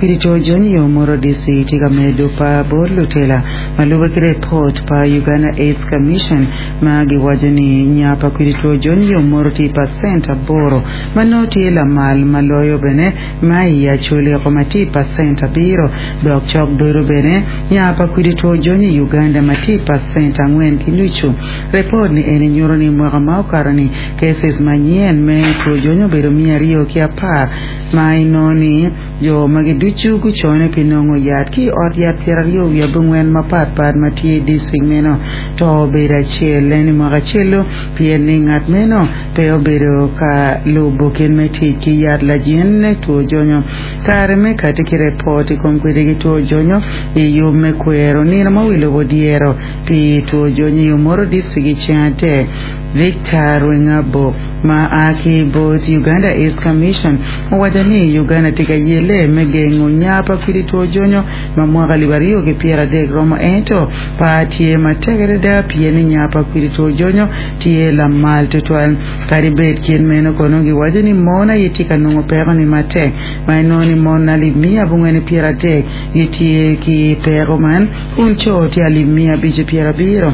kwidi two jonyo i Omoro DC tye ka medo par bot lutela ma lube ki repot pa Uganda AIDS Commission ma giwaco ni nya pa kwidi two jonyo i Omoro tye i pacent aboro ma nongo tye lamal ma loyo bene ma i Acholi oko ma tye i pacent abiro dok cok bedo bene nya pa kwidi two jonyo i Uganda ma tye i pacent angwen ki nucu. Repot ni eni nyuto ni mwaka ma okato ni cases manyen me two jonyo obedo 210 ma inongo ni jo magi ducu gucone pi nongo yat ki i ot yat 29 mapat pat ma tye i distrik meno. To obedo acel en i mwaka acel-lu pien ni ngat meno pe obedo ka lubo kit me tic ki yat lajin two jonyo. Kare me kati ki repot i kom kwede ki two jonyo i yub me kwero nino ma wi lobo dyero pi two jonyo i Omoro Distrik i ceng adek, Victor Rwengabo ma a ki bot Uganda AIDS Commission owaco ni Uganda tye ka yelle me gengo nya pa kwidi two jonyo ma mwaka 2030 romo ento par tye matek adada pien ni nya pa kwidi two jonyo tye lamal tutwal. Kadi bed kit meno kono giwaco ni mon aye tye ka nongo peko ni matek ma inongo ni mon alip miya abongwen 30 gitye ki peko man kun co tye alip miya abic 70.